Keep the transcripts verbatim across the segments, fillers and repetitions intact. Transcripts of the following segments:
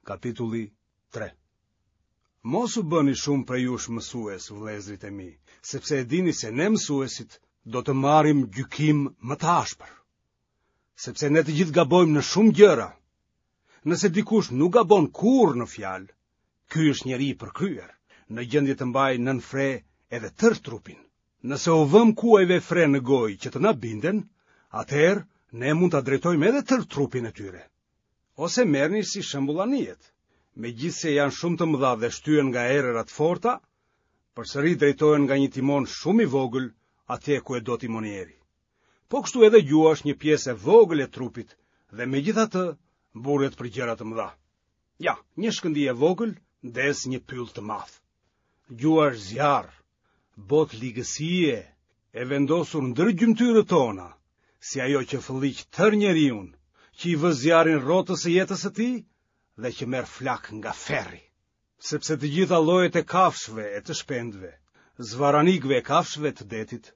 Kapitulli tre. Mos u bëni shumë prej jush mësues, vëllezërit e mi, sepse e dini se ne mësuesit do të marrim gjykim më të ashpër. Sepse ne të gjithë gabojmë në shumë gjëra. Nëse dikush nuk gabon kurrë në fjalë, ky është njeri i përkryer, në gjendje të mbajë nën fre edhe tërë trupin. Nëse u vëmë kuajve fre në gojë që të na binden, atëherë ne mund ta drejtojmë edhe tërë trupin e tyre. Ose merrni si shembull anijet. Megjithëse janë shumë të mëdha dhe shtyhen nga erëra të forta, përsëri drejtohen nga një timon shumë i vogël atje ku e do timonieri. Po kështu edhe gjuha është një pjesë e vogël e trupit dhe megjithatë mburret për gjëra të mëdha. Ja, një shkëndijë e vogël ndez një pyll të madh. Gjuha është zjarr, botë ligësie, e vendosur ndër gjymtyrët tona, si ajo që fëlliq tërë njeriun, që i vë zjarrin rrotës së jetës së tij dhe që merr flakë nga ferri. Sepse të gjitha llojet e kafshëve e të shpendëve, zvarranikëve e kafshëve të detit,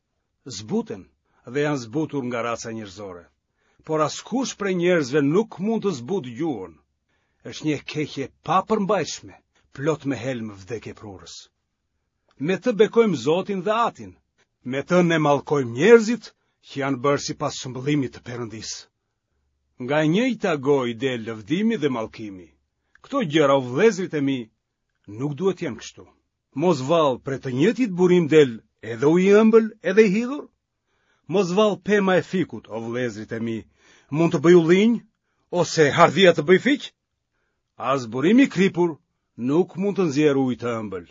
zbuten dhe janë zbutur nga raca njerëzore. Por askush prej njerëzve nuk mund të zbutë gjuhën. Është një e keqe e papërmbajtshme, plot me helm vdekjeprurës. Me të bekojmë Zotin dhe Atin, me të ne mallkojmë njerëzit që janë bërë sipas shëmbëllimit të Perëndisë. Nga e njëjta gojë del lëvdimi dhe mallkimi. Këto gjëra, o vëllezërit e mi, nuk duhet të jenë kështu. Mos vallë prej të njëjtit burim del edhe uji i ëmbël edhe i hidhur? Mos vallë pema e fikut, o vëllezërit e mi, mund të bëjë ullinj ose hardhia të bëjë fiq? As burimi i kripur nuk mund të nxjerrë ujë të ëmbël.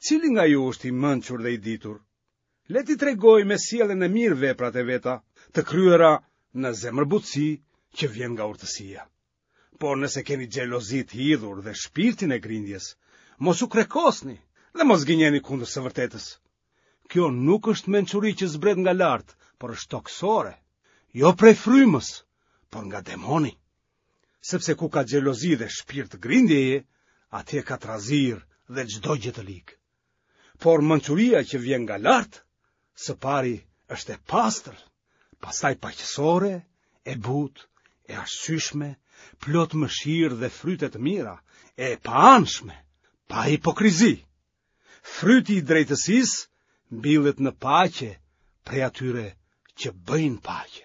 Cili nga ju është i mençur dhe i ditur? Le t'i tregojë me sjelljen e mirë veprat e veta, të kryera në zemërbutësi që vjen nga urtësia. Por nëse keni xhelozi të hidhur dhe shpirtin e grindjes, mos u krekosni dhe mos gënjeni kundër së vërtetës. Kjo nuk është mençuri që zbret nga lart, por është tokësore, jo prej frymës, por nga demoni. Sepse ku ka xhelozi dhe shpirt grindjeje, atje ka trazirë dhe çdo gjë të ligë. Por mençuria që vjen nga lart, së pari është e pastër, pastaj paqësore, e butë, e arsyeshme, plot mëshirë dhe fryte të mira, e paanshme, pa hipokrizi. Fryti i drejtësisë mbillet në paqe prej atyre që bëjnë paqe.